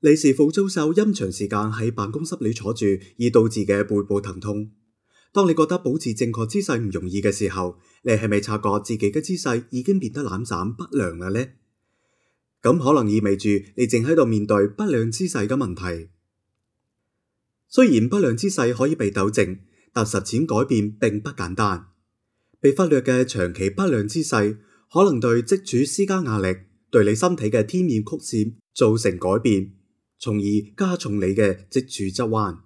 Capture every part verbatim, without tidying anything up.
你是否遭受因長時間喺辦公室裏坐住而導致嘅背部疼痛？當你覺得保持正確姿勢唔容易嘅時候，你係咪察覺自己嘅姿勢已經變得懶散不良啦呢？咁可能意味住你正喺度面對不良姿勢嘅問題。雖然不良姿勢可以被糾正，但實踐改變並不簡單。被忽略嘅長期不良姿勢，可能對脊柱施加壓力，對你身體嘅天面曲線造成改變，從而加重你嘅脊柱側彎。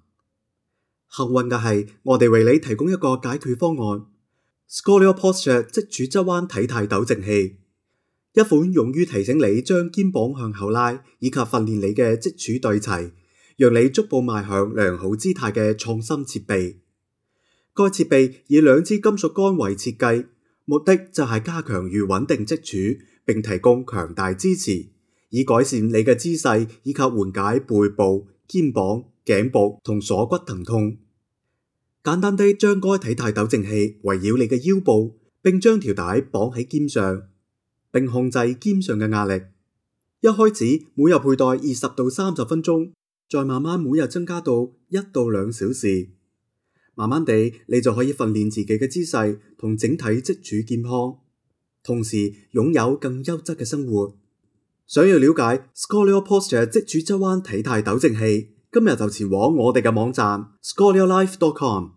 幸運嘅係，我哋為你提供一個解決方案 ——ScolioPosture 脊柱側彎體態糾正器，一款用於提醒你將肩膀向後拉，以及訓練你嘅脊柱對齊，讓你逐步邁向良好姿態嘅創新設備。該設備以兩支金屬桿為設計，目的就係加強與穩定脊柱，並提供強大支持，以改善你嘅姿勢以及緩解背部、肩膀、頸部同鎖骨疼痛。簡單地將該體態糾正器圍繞你嘅腰部，並將條帶綁喺肩上，並控制肩上嘅壓力。一開始每日佩戴二十到三十分鐘，再慢慢每日增加到一到兩小時。慢慢地，你就可以訓練自己嘅姿勢同整體脊柱健康，同時擁有更優質嘅生活。想要了解 ScolioPosture 脊柱側彎體態糾正器，今日就前往我哋嘅網站 scolio life dot com。